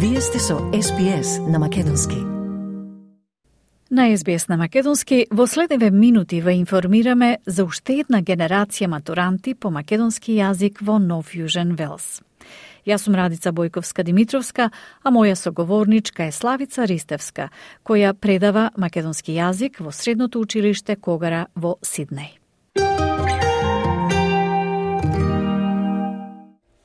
Вие сте со SPS на Македонски. На SBS на Македонски во следниве минути ве информираме за уште една генерација матуранти по македонски јазик во Нов Јужен Велс. Јас сум Радица Бојковска-Димитровска, а моја соговорничка е Славица Ристевска, која предава македонски јазик во Средното училиште Когара во Сиднеј.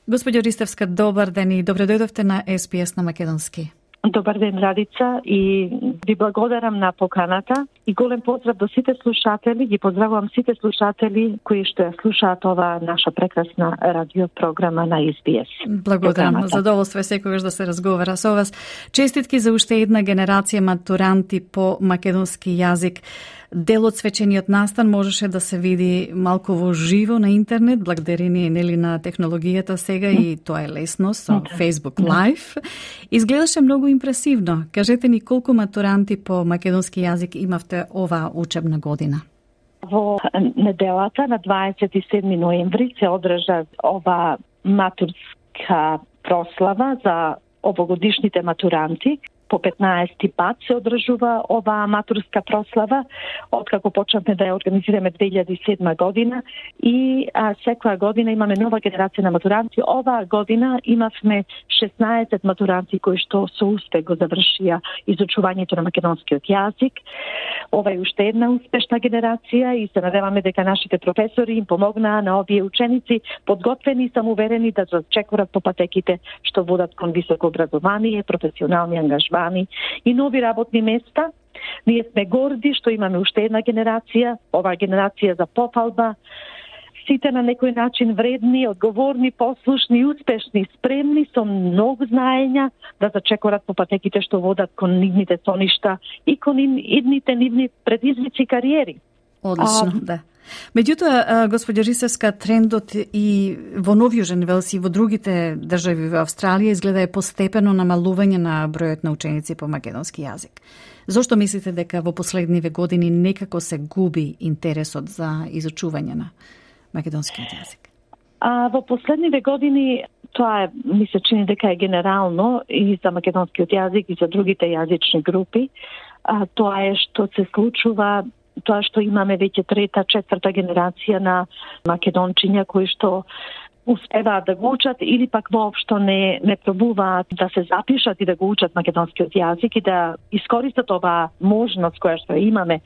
Господјо Ристевска, добар ден и добре дојдовте на SPS на Македонски. Добар ден, Радица, и ви благодарам на поканата и голем поздрав до сите слушатели. Ги поздравувам сите слушатели кои што ја слушаат оваа наша прекрасна радиопрограма на SBS. Благодарам, задоволство е секогаш да се разговара со вас. Честитки за уште една генерација матуранти по македонски јазик. Дел од свечениот настан можеше да се види малку во живо на интернет, благодарение нели на технологијата сега и тоа е лесно со Facebook Live. Изгледаше многу импресивно. Кажете ни колку матуранти по македонски јазик имавте оваа учебна година? Во неделата на 27 ноември се одржа ова матурска прослава за овогодишните матуранти. По 15 пат се одржува оваа матурска прослава, откако почнавме да ја организираме 2007 година и секоја година имаме нова генерација на матуранти. Оваа година имавме 16 матуранти кои што со успех го завршија изучувањето на македонскиот јазик. Ова е уште една успешна генерација и се надеваме дека нашите професори им помогнаа на овие ученици, подготвени и самоуверени да зачекорат по патеките што водат кон високо образование, професионални ангажмани и нови работни места. Ние сме горди што имаме уште една генерација, оваа генерација за пофалба, сите на некој начин вредни, одговорни, послушни, успешни, спремни со многу знаења да зачекорат по патеките што водат кон нивните соништа и кон идните нивни предизвици и кариери. Одлично, да. Меѓутоа, господја Ристевска, трендот и во Нов Јужен Велс и во другите држави во Австралија изгледа е постепено намалување на бројот на ученици по македонски јазик. Зошто мислите дека во последниве години некако се губи интересот за изучување на македонскиот јазик? Во последниве години тоа е, ми се чини дека е генерално и за македонскиот јазик и за другите јазични групи. Тоа е што се случува, тоа што имаме веќе трета, четврта генерација на македончиња кои што успеваат да го учат или пак воопшто не пробуваат да се запишат и да го учат македонскиот јазик и да искористат оваа можност која што имаме,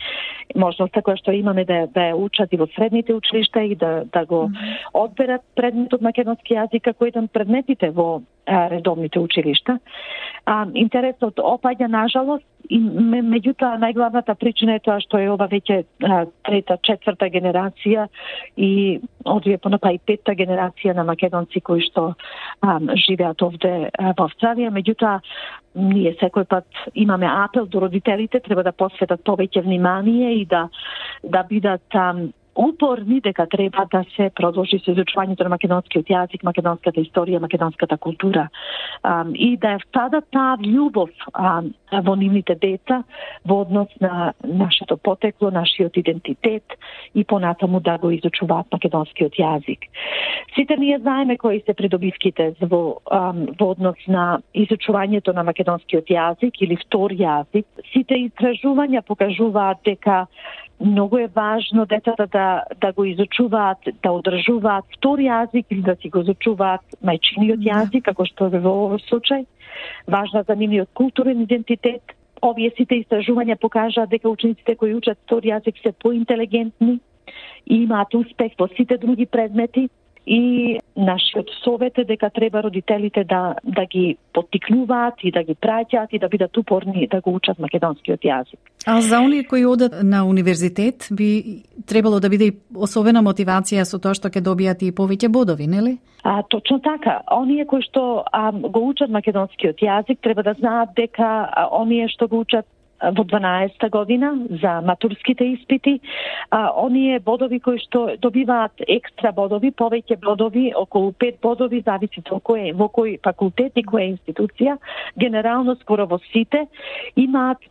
можноста која што имаме да ја учат и во средните училишта и да го одберат предметот македонски јазик како еден предметите во редовните училишта. Интересот опаѓа, нажалост, и меѓутоа најглавната причина е тоа што е ова веќе трета, четврта генерација и одвие понапа и петта генерација на македонци кои што живеат овде во Австралија. Меѓутоа, ние секој пат имаме апел до родителите, треба да посветат повеќе внимание и да бидат упорни дека треба да се продолжи со изучувањето на македонскиот јазик, македонската историја, македонската култура и да ја вкладат таа љубов во нивните деца во однос на нашето потекло, нашиот идентитет и понатаму да го изучуваат македонскиот јазик. Сите ние знаеме кои се придобивките во однос на изучувањето на македонскиот јазик или втор јазик. Сите истражувања покажуваат дека многу е важно децата да го изучуваат, да одржуваат втор јазик или да си го изучуваат мајчиниот јазик, како што е во овој случај. Важна за нивниот културен идентитет. Овие сите истражувања покажаат дека учениците кои учат втор јазик се поинтелигентни и имаат успех во сите други предмети. И нашиот совет е дека треба родителите да ги поттикнуваат и да ги праќаат и да бидат упорни да го учат македонскиот јазик. А за оние кои одат на универзитет би требало да биде особена мотивација со тоа што ќе добијат и повеќе бодови, нели? Точно така. Оние кои што го учат македонскиот јазик треба да знаат дека оние што го учат во 12-та година за матурските испити. Оние бодови кои што добиваат екстра бодови, повеќе бодови, околу 5 бодови, зависи во кој факултет и која институција, генерално скоро во сите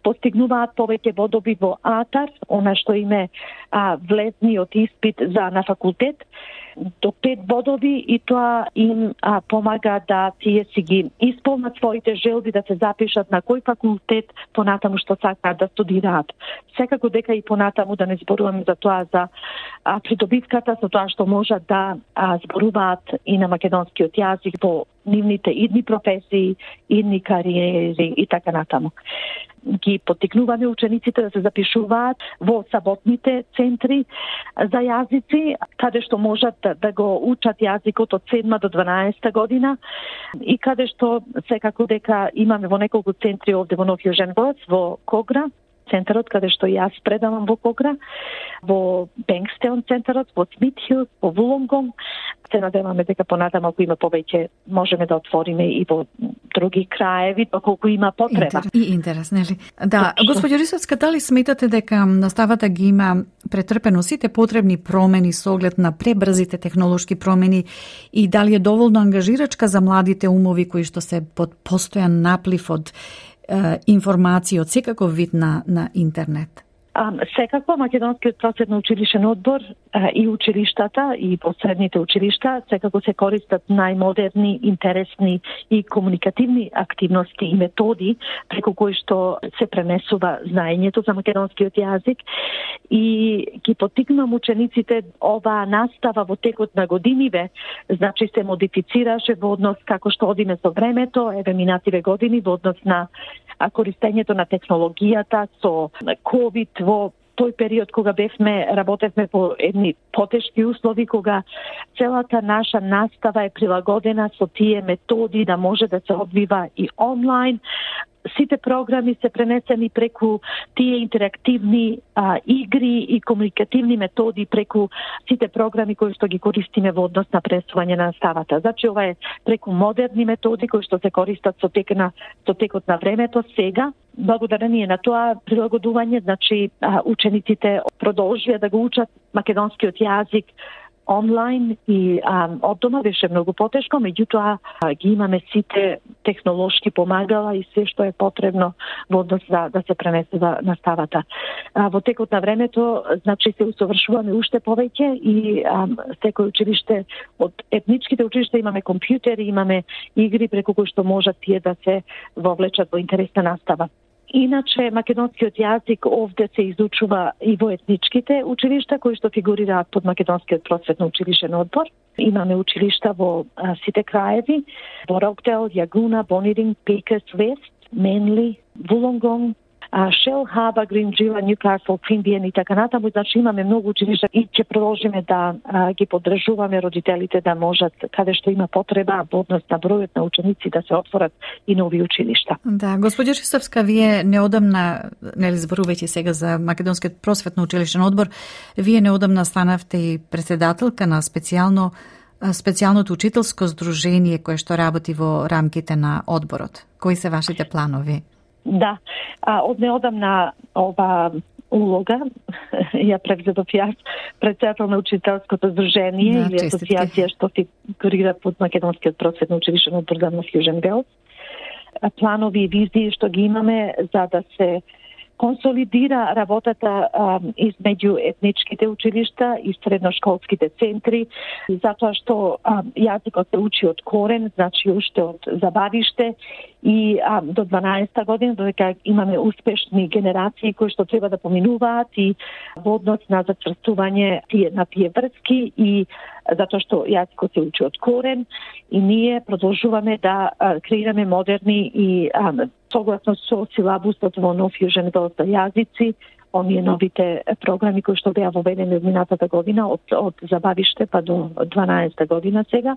постигнуваат повеќе бодови во АТАР, она што име влезниот испит на факултет, до 5 бодови, и тоа им помага да тие си ги исполнат своите желби да се запишат на кој факултет понатаму што сакаат да студираат. Секако дека и понатаму да не зборуваме за тоа за придобивката, за тоа што можат да зборуваат и на македонскиот јазик во нивните идни професии, идни кариери и така натаму. Ги поттикнуваме учениците да се запишуваат во саботните центри за јазици, каде што можат да го учат јазикот од 7 до 12 година, и каде што секако дека имаме во неколку центри овде во Нов Јужен Велс, во Когра, центарот каде што јас предавам во Когра, во Бенкстеон центарот, во Смитхилс, во Вулонгонг. Се надеваме дека понатаму ако има повеќе можеме да отвориме и во други краеви, доколку има потреба. Интерес, нели? Да, госпоѓо Рисовска, дали сметате дека наставата ги има претрпено сите потребни промени со оглед на пребрзите технолошки промени, и дали е доволно ангажирачка за младите умови кои што се под постојан наплив од информации од секаков вид на интернет? Секако Македонскиот просветно училишен одбор и училиштата и посредните училишта секако се користат најмодерни, интересни и комуникативни активности и методи преку кои што се пренесува знаењето за македонскиот јазик, и ги поттикнувам учениците оваа настава во текот на годиниве, значи се модифицираше во однос како што одиме со времето, минативе години во однос на користењето на технологијата со COVID, во тој период кога работевме по едни потешки услови, кога целата наша настава е прилагодена со тие методи да може да се одвива и онлайн. Сите програми се пренесени преку тие интерактивни игри и комуникативни методи преку сите програми кои што ги користиме во однос на пренесување на наставата. Значи ова е преку модерни методи кои што се користат со текот на времето сега. Благодарение на тоа прилагодување, значи учениците продолжија да го учат македонскиот јазик онлайн и од дома беше многу потешко, меѓутоа ги имаме сите технолошки помагала и се што е потребно во однос да се пренесува наставата. Во текот на времето, значи се усовршуваме уште повеќе, и секој училиште од етничките училишта имаме компјутери, имаме игри преку кои што можат тие да се вовлечат во интересна настава. Иначе, македонскиот јазик овде се изучува и во етничките училишта кои што фигурираат под Македонскиот просветно училишен одбор. Имаме училишта во сите краеви, во Рокдел, Јагуна, Бониринг, Пекес, Вест, Менли, Вулонгонг, Шел, Хаба, Гринџила, Ньюкасл, Квинбиен и така натаму. Значи имаме многу училишта и ќе продолжиме да ги поддржуваме родителите да можат, каде што има потреба во однос на бројот на ученици, да се отворат и нови училишта. Да, госпоѓа Рисовска, вие неодамна, нели зборувајќи сега за Македонскиот просветно училишен одбор, вие неодамна станавте и председателка на специјалното учителско здружение кое што работи во рамките на одборот. Кои се вашите планови? Да, од неодамна ова улога ја превзедов јас, председател на учителското здружение или асоциација што фигурира под Македонскиот просветно училишен одбор за Нов Јужен Велс. Планови и визии што ги имаме за да се консолидира работата измеѓу етничките училишта и средношколските центри, затоа што јазикот се учи од корен, значи уште од забавиште, и до 12-та година, додека имаме успешни генерации кои што треба да поминуваат и во однос на зацврстување на тие врски, и затоа што јазикот се учи од корен, и ние продолжуваме да креираме модерни и согласно со силабусот во Нов Јужен Велс за јазици, оние новите програми кои што беа воведени од минатата година, од забавиште па до 12-та година сега,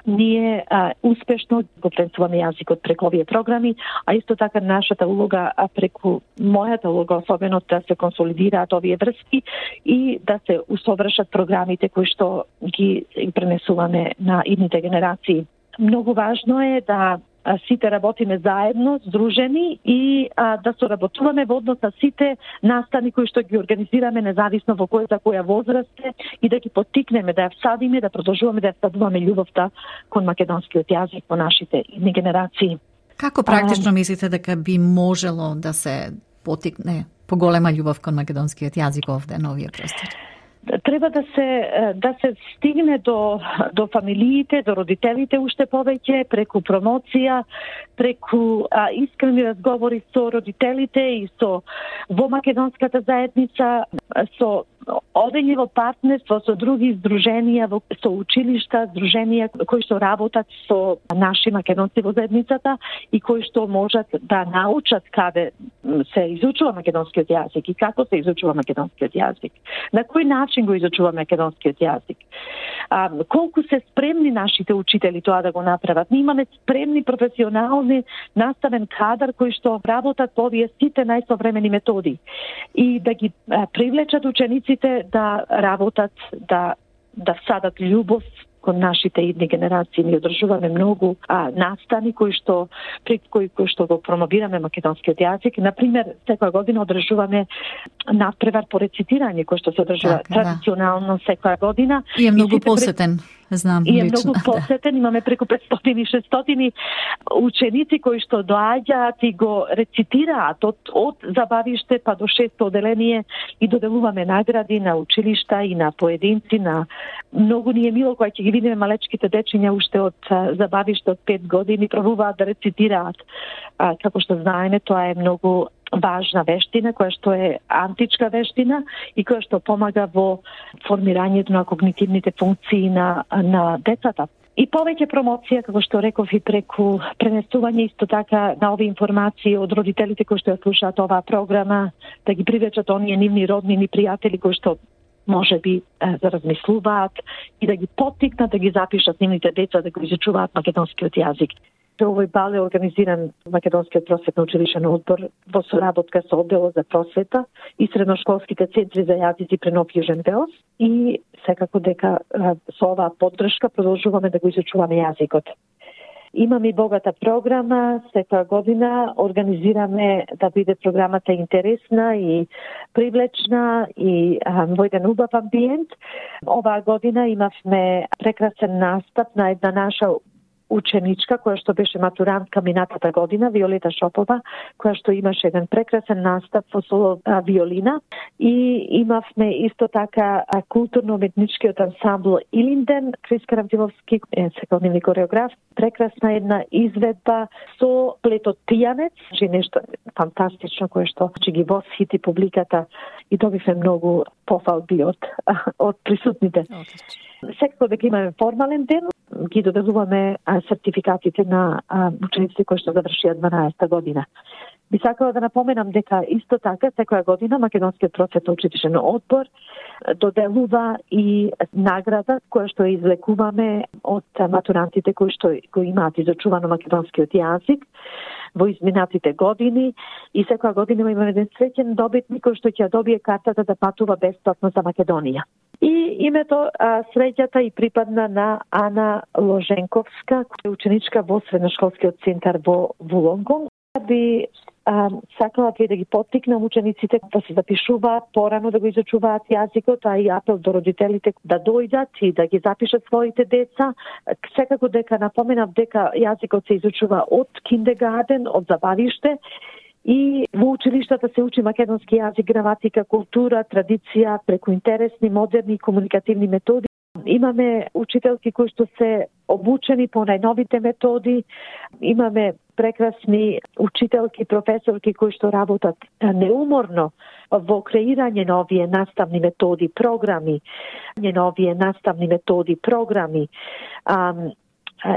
ние успешно го пренесуваме јазикот преку овие програми, а исто така нашата улога преку мојата улога особено да се консолидираат овие врски и да се усовршат програмите кои што ги пренесуваме на идните генерации. Многу важно е да сите работиме заедно, здружени и да соработуваме во однос на сите настани кои што ги организираме независно во која возраст е и да ги поттикнеме, да ја всадиме, да продолжуваме да ја всадуваме љубовта кон македонскиот јазик во нашите идни генерации. Како практично мислите дека би можело да се поттикне поголема љубов кон македонскиот јазик овде на овие простори? Треба да се стигне до фамилиите, до родителите уште повеќе, преку промоција, преку искрени разговори со родителите и во македонската заедница, со одење во партнерство со други здруженија, со училишта, здруженија кои што работат со наши македонци во заедницата и кои што можат да научат каде се изучува македонскиот јазик и како се изучува македонскиот јазик. На кој начин го изучува македонскиот јазик. Колку се спремни нашите учители тоа да го направат. Ние имаме спремни професионални наставен кадар кои што работат по овие сите најсовремени методи и да ги привлечат учениците да работат, да всадат љубов кон нашите идни генерации. Ние одржуваме многу настани кои што го промовираме македонскиот јазик. Например, секоја година одржуваме надпревар по рецитирање кој што се одржува традиционално секоја година. И е многу посетен. Знам, и е многу посетен, имаме преку 500-600 ученици кои што доаѓаат и го рецитираат од забавиште па до 600 оделение и доделуваме награди на училишта и на поединци, на многу ни е мило кога ќе ги видиме малечките дечиња уште од забавиште од 5 години пробуваат да рецитираат. Како што знаеме, тоа е многу важна вештина, која што е античка вештина и која што помага во формирањето на когнитивните функции на децата. И повеќе промоција, како што реков, и преку пренесување исто така на овие информации од родителите кои што ја слушаат оваа програма, да ги привлечат оние нивни роднини пријатели кои што може би да размислуваат и да ги поттикнат да ги запишат нивните деца да го изучуваат македонскиот јазик. Овој бал е организиран Македонскиот просветно училишен одбор во соработка со одделот за просвета и средношколските центри за јазици при Нов Јужен Велс и секако дека со оваа поддршка продолжуваме да го изучуваме јазикот. Имаме и богата програма, секоја година организираме да биде програмата интересна и привлечна и во еден убав амбиент. Оваа година имавме прекрасен настап на една наша ученичка која што беше матурантка минатата година, Виолета Шопова, која што имаше еден прекрасен настап во соло виолина и имавме исто така културно-уметничкиот ансамбл Илинден, Крис Карамфиловски, секојдневни кореограф, прекрасна една изведба со плетот Тијанец, нешто фантастично кое што ги восхити публиката и добивме многу пофалби од присутните. Секако дека имаме формален ден, ги доделуваме сертификатите на учениците кои што завршија 12-та година. Би сакала да напоменам дека исто така секоја година Македонскиот просветно училишен одбор доделува и награда која што извлекуваме од матурантите кои што го имаат изучувано македонскиот јазик во изминатите години и секоја година имаме еден среќен добитник кој што ќе добие картата да патува бесплатно за Македонија. И името среќата и припадна на Ана Ложенковска, која е ученичка во средношколскиот центар во Вулонгонг. Би сакала да ги поттикнам учениците да се запишуваат порано да го изучуваат јазикот, а и апел до родителите да дојдат и да ги запишат своите деца. Секако дека напоменав дека јазикот се изучува од киндергарден, од забавиште, и во училиштата се учи македонски јазик, граматика, култура, традиција, преку интересни, модерни комуникативни методи. Имаме учителки кои што се обучени по најновите методи, имаме прекрасни учителки, професорки кои што работат неуморно во креирање на овие наставни методи, програми,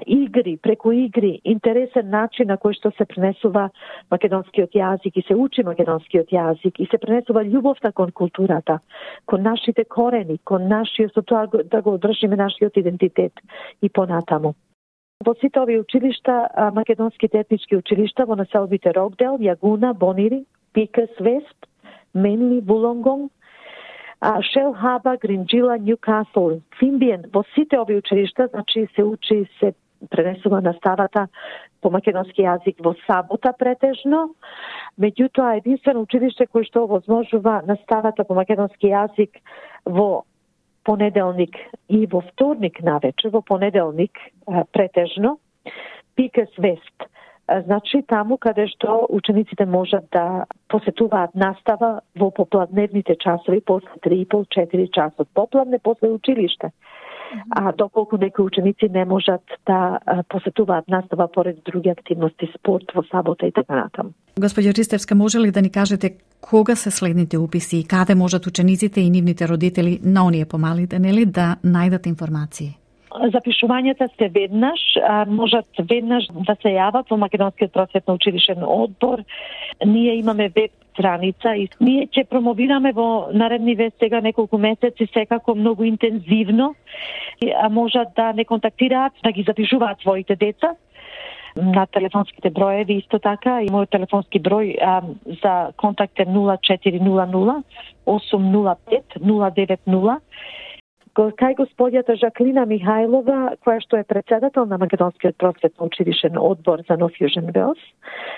игри, преку игри, интересен начин на кој што се пренесува македонскиот јазик и се учи македонскиот јазик и се пренесува љубовта кон културата, кон нашите корени, кон нашиот, со тоа да го одржиме нашиот идентитет и понатаму. Во сите овие училишта, македонските етнички училишта во населбите Рокдел, Јагуна, Бонири, Пикес, Вест, Менли, Вулонгонг, Шелхаба, Гринџила, Нјукасл, Фимбиен, во сите овие училишта, значи се учи, се пренесува наставата по македонски јазик во сабота претежно. Меѓутоа, единствено училиште кој што овозможува наставата по македонски јазик во понеделник и во вторник навечер, во понеделник претежно, Пикес Вест. Значи таму каде што учениците можат да посетуваат настава во попладневните часови после 3,5-4 часот. Попладне после училиште. А доколку некои ученици не можат да посетуваат настава поред други активности, спорт во сабота и така натаму. Господја Ристевска, може ли да ни кажете кога се следните уписи и каде можат учениците и нивните родители на оние помалите, нели, да најдат информации? Запишувањата се веднаш, можат веднаш да се јават во Македонскиот просветно училишен одбор. Ние имаме веб страница и ние ќе промовираме во наредниве сега неколку месеци секако многу интензивно. Можат да не контактираат, да ги запишуваат своите деца на телефонските броеви исто така. И мојот телефонски број за контакт е 0400 805 090. Кај господјата Жаклина Михајлова, која што е председател на Македонскиот просветно училишен одбор за No Fusion Wales,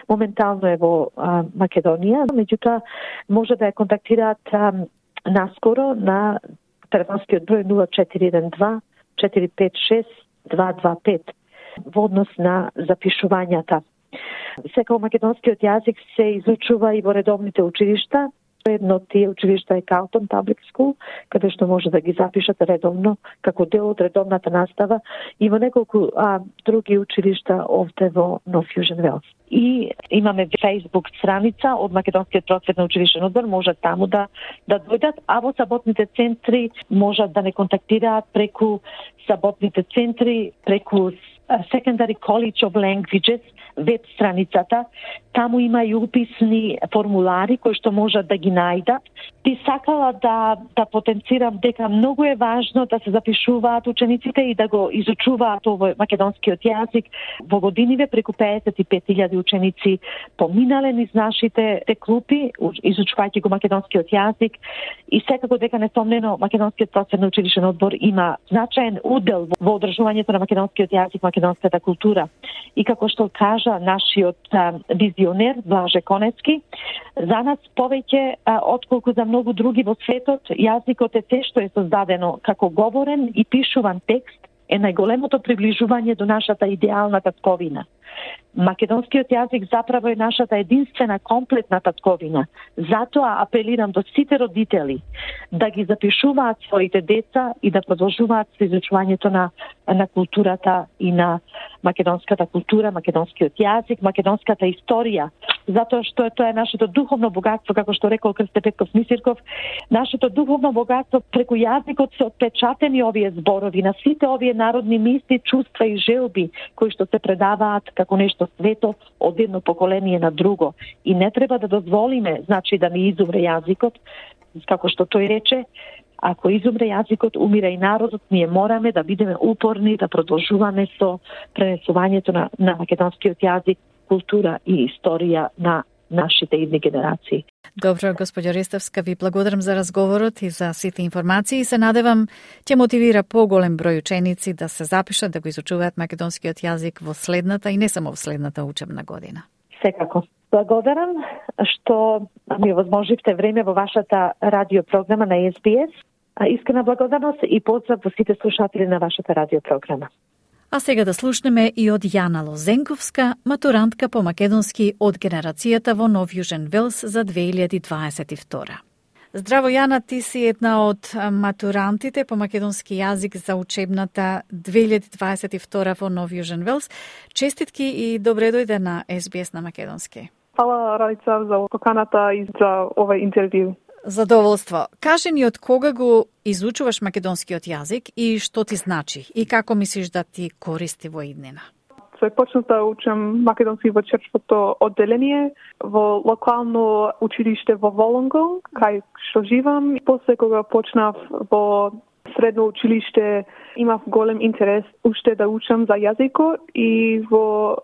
моментално е во Македонија, меѓутоа може да ја контактираат наскоро на телефонскиот број 0412 456 225 во однос на запишувањата. Секако македонскиот јазик се изучува и во редовните училишта. Едно од тие училишта е Carlton Public School, каде што може да ги запишат редовно, како дел од редовната настава, и во неколку други училишта овде во No Fusion Wales. И имаме Facebook страница од Македонскиот просветно училишен одбор, можат таму да дојдат, а во саботните центри можат да не контактираат преку саботните центри, преку Secondary College of Languages, веб страницата. Таму има и уписни формулари кои што можат да ги најдат. Би сакала да потенцирам дека многу е важно да се запишуваат учениците и да го изучуваат овој македонскиот јазик. Во годиниве преку 55.000 ученици поминале низ нашите клупи, изучувајќи го македонскиот јазик, и секако дека несомнено Македонскиот просветно училишен одбор има значаен удел во одржувањето на македонскиот јазик, македонската култура. И како што кажа нашиот визионер Блаже Конецки, за нас повеќе отколку за многу други во светот, јазикот е се што е создадено како говорен и пишуван текст, е најголемото приближување до нашата идеална татковина. Македонскиот јазик заправо е нашата единствена комплетна татковина. Затоа апелирам до сите родители да ги запишуваат своите деца и да продолжуваат со изучувањето на културата и на македонската култура, македонскиот јазик, македонската историја, затоа што тоа е нашето духовно богатство, како што рекол Крсте Петков Мисирков. Нашето духовно богатство, преку јазикот се отпечатени овие зборови на сите овие народни мисли, чувства и желби кои што се предаваат како нешто свето од едно поколение на друго. И не треба да дозволиме, значи, да ни изумре јазикот, како што тој рече, ако изумре јазикот, умира и народот. Ние мораме да бидеме упорни, да продолжуваме со пренесувањето на македонскиот јазик, култура и историја на нашите идни генерации. Добро, господја Ристевска, ви благодарам за разговорот и за сите информации и се надевам ќе мотивира поголем број ученици да се запишат, да го изучуваат македонскиот јазик во следната и не само во следната учебна година. Секако. Благодарам што ми возможивте време во вашата радиопрограма на SBS. Искрена благодарност и поздрав во сите слушатели на вашата радиопрограма. А сега да слушнеме и од Јана Лозенковска, матурантка по македонски од генерацијата во No Fusion Wales за 2022. Здраво, Јана, ти си една од матурантите по македонски јазик за учебната 2022 во No Fusion Wales. Честитки и добре дојде на SBS на македонски. Фала, Ралица, за поканата и за овој интервју. Задоволство. Кажи ни од кога го изучуваш македонскиот јазик и што ти значи и како мислиш да ти користи во иднина? Почнав да учам македонски во черчвото одделение во локално училиште во Волонгонг, кај што живам. После кога почнав во средно училиште, имав голем интерес уште да учам за јазикот и во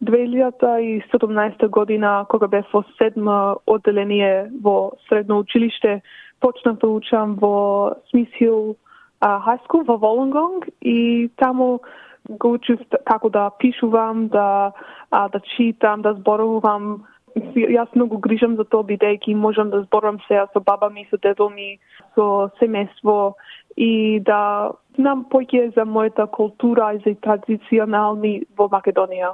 2017 година, кога бев во 7 одделение во средно училиште, почнав да учам во Смith Hill High School во Волонгонг и таму го учев како да пишувам, да читам, да зборувам. Јас многу грижам за тоа, бидејќи можам да зборувам сега со баба ми, со дедо ми, со семејство и да знам поќе за мојата култура и за традиционални во Македонија.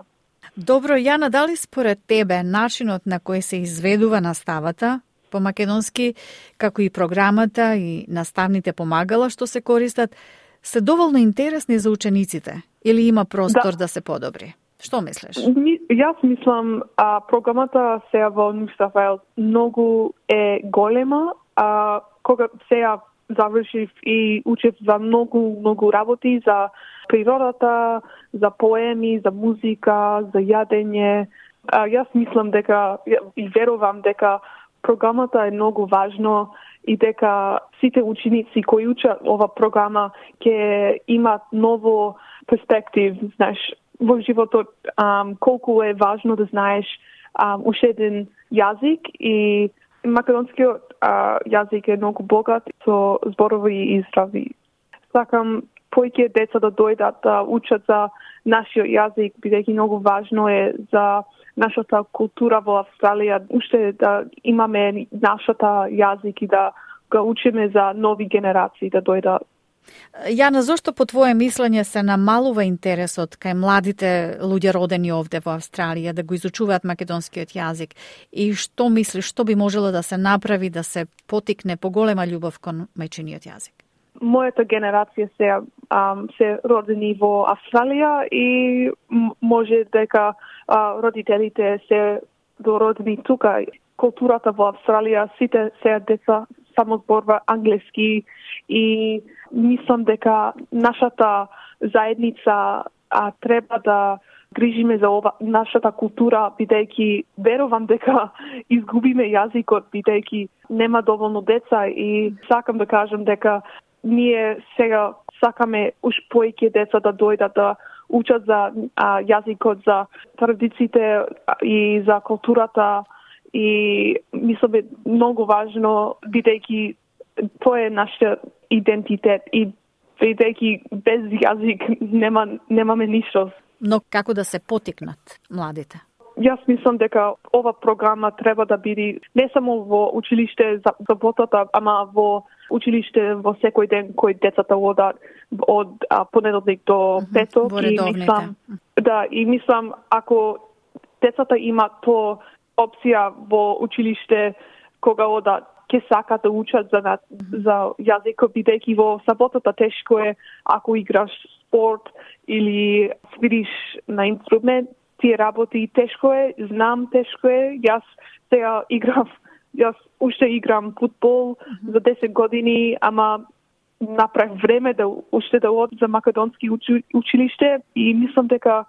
Добро, Јана, дали според тебе начинот на кој се изведува наставата по македонски, како и програмата и наставните помагала што се користат, се доволно интересни за учениците или има простор да се подобри? Што мислиш? Јас мислам, програмата сега во Нью Саут Вејлс многу е голема. Кога сега завршив и учев за многу работи, за природата, за поеми, за музика, за јадење. Јас мислам дека и верувам дека програмата е многу важно и дека сите ученици кои учат ова програма ќе имат ново перспектив, знаеш, во животот, колку е важно да знаеш уште еден јазик и македонскиот јазик е многу богат со зборови и изрази. Сакам поќе деца да дојдат да учат за нашиот јазик, бидејќи многу важно е за нашата култура во Австралија, уште да имаме нашата јазик и да го учиме за нови генерации да дојдат. Јана, зошто по твое мислење се намалува интересот кај младите луѓе родени овде во Австралија да го изучуваат македонскиот јазик? И што мислиш, што би можело да се направи да се потикне поголема љубов кон мајчиниот јазик? Мојата генерација се родени во Австралија и може дека родителите се дородени тука. Културата во Австралија, сите се деца само зборува англиски и мислам дека нашата заедница треба да грижиме за нашата култура, бидејќи верувам дека изгубиме јазикот, бидејќи нема доволно деца и сакам да кажам дека ние сега сакаме уш поеќе деца да дојдат да учат за јазикот, за традициите и за културата и мислам е многу важно бидејќи тоа е нашиот идентитет и бидејќи без јазик немаме ништо. Но како да се потикнат младите? Јас мислам дека ова програма треба да биде не само во училиште за заботата, ама во училиште во секој ден кој децата одат од понеделник до петок и мислам ако децата имат тоа опција во училиште кога одат ќе сакат да учат за јазикот, бидејќи во саботата тешко е ако играш спорт или свириш на инструмент, тие работи тешко е, знам тешко е. Јас уште играм фудбал за 10 години, ама направив време да уште да одам за македонски училиште и мислам дека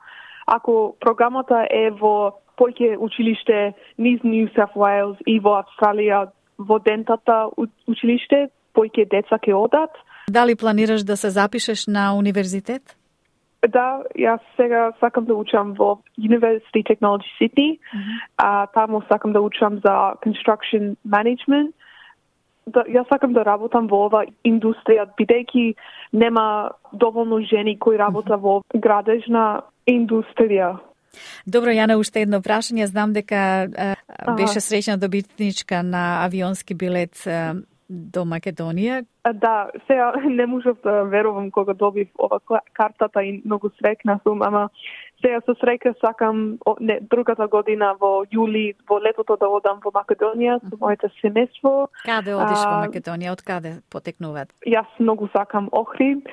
ако програмата е во поќе училиште низ Нью Саут Вејлс и во Австралија во дентата училиште, поќе деца ќе одат. Дали планираш да се запишеш на универзитет? Да, јас сега сакам да учам во University Technology Sydney. Таму сакам да учам за construction management. Јас сакам да работам во ова индустрија, бидејќи нема доволно жени кои работа во градежна индустрија. Добро, Јана, уште едно прашање. Знам дека беше среќна добитничка на авионски билет до Македонија. Да, сега не можев да верувам кога добив ова картата и многу среќна сум, ама сега со среќа сакам другата година во јули, во летото да одам во Македонија со моето семејство. Каде одиш во Македонија? Од каде потекнуваат? Јас многу сакам Охрид,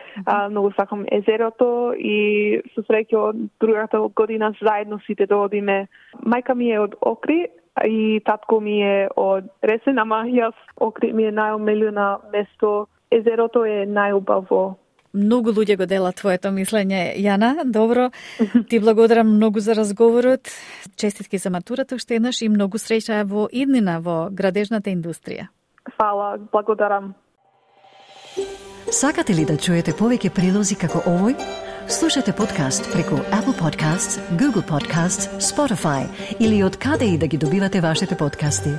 многу сакам езерото и со среќа другата година заедно сите да одиме. Мајка ми е од Охрид и татко ми е од Ресен, ама јас Охрид ми е најомилено место. Езерото е најубаво. Многу луѓе го делат твоето мислење, Јана. Добро, ти благодарам многу за разговорот. Честитки за матурата уште еднаш и многу среќа во иднина во градежната индустрија. Фала, благодарам. Сакате ли да чуете повеќе прилози како овој? Слушате подкаст преку Apple Podcasts, Google Podcasts, Spotify или од каде и да ги добивате вашите подкасти.